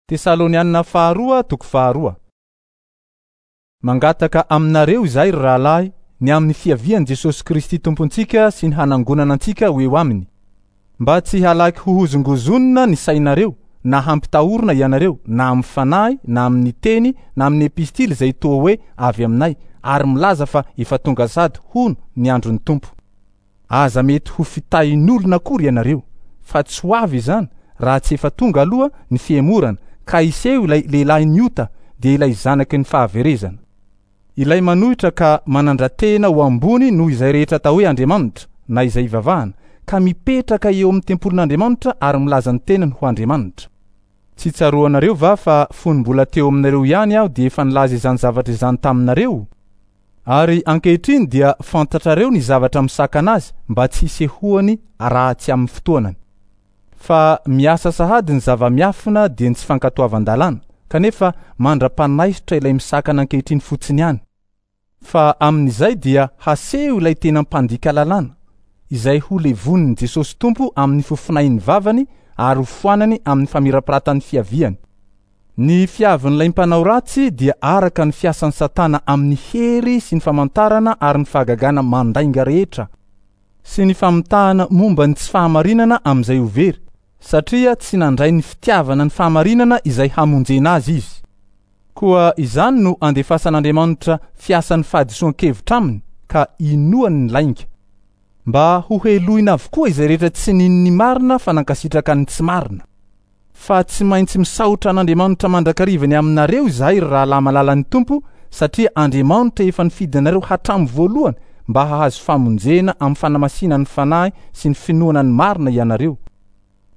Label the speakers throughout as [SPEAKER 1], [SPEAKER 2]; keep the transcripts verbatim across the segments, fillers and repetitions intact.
[SPEAKER 1] Tesalonianina faharoa toko faharoa. Mangataka aminareo izahay ry rahalahy ny amin'ny fiavian'i Jesosy Kristy Tompontsika sy ny hanangonana antsika ho eo aminy, mba tsy halaky hohozongozonina ny sainareo na hampitahorina ianareo na amin'ny fanahy na amin'ny teny na amin'ny epistily izay toa hoe avy aminay ary milaza fa efa tonga sady hono ny andron'ny Tompo. Aza mety ho fitahin'olona akory ianareo, fa tsy ho avy izany raha tsy efa tonga aloha ny fihemorana ka hiseho ilay lehilahy ota dia ilay zanaky ny fahaverezana. Ilay manohitra ka manandra-tena ho ambony noho izay rehetra atao hoe Andriamanitra na izay ivavahana, ka mipetraka eo amin'ny tempolin'Andriamanitra ary milaza ny tenany ho Andriamanitra. Tsy tsaroanareo va fa fony mbola teo aminareo ihany aho dia efa nilaza izany zavatra izany taminareo? Ary ankehitriny dia fantatrareo ny zavatra misakana azy mba tsy hisehoany raha tsy amin'ny fotoanany. Fa miasa sahady ny zava-miafina dia ny tsy fankatoavan-dalàna, kanefa mandra-panaisotra ilay misakana ankehitriny fotsiny ihany. Fa amin'izay dia haseho ilay tena mpandika lalàna, izay ho levonin'i Jesosy Tompo amin'ny fofonain'ny vavany ary ho foanany amin'ny famirapiratan'ny fiaviany. Ny fiavin'ilay mpanao ratsy dia araka ny fiasan'ny Satana amin'ny hery sy ny famantarana ary ny fahagagana mandainga rehetra sy ny famitahana momba ny tsy fahamarinana amin'izay ho very, satria tsy nandray ny fitiavana ny fahamarinana izay hamonjena azy izy. Koa izany no andefasan'Andriamanitra fiasan'ny fahadisoan-kevitra aminy ka inoany ny lainga, mba ho helohina avokoa izay rehetra tsy nino ny marina fa nankasitraka ny tsy marina. Fa tsy maintsy misaotra an'Andriamanitra mandrakariva ny aminareo izahay ry rahalahy malalan'ny Tompo, satria Andriamanitra efa nifidy anareo hatramin'ny voalohany mba hahazo famonjena amin'ny fanamasinan'ny fanahy sy ny finoana ny marina ianareo.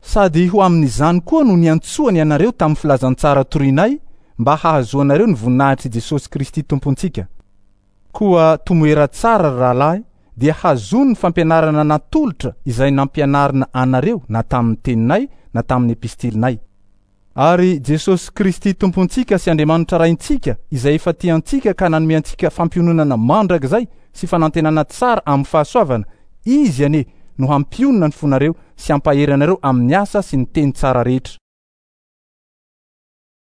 [SPEAKER 1] Sady ho amin'izany koa no niantsoany ianareo tamin'ny filazantsara torinay mba hahazoanareo ny voninahitr'i Jesosy Kristy Tompontsika. Koa tomoera tsara ry rahalahy, dia hazony ny fampianarana natolotra izay nampianarina anareo na tamin'ny teninay na tamin'ny epistilinay. Ary Jesosy Kristy Tompontsika sy Andriamanitra Raintsika izay efa tia antsika ka nanome antsika fampiononana mandrakizay sy fanantenana tsara amin'ny fahasoavana, izy anie no hampionona ny fonareo sy hampahery anareo amin'ny asa sy ny teny tsara rehetra.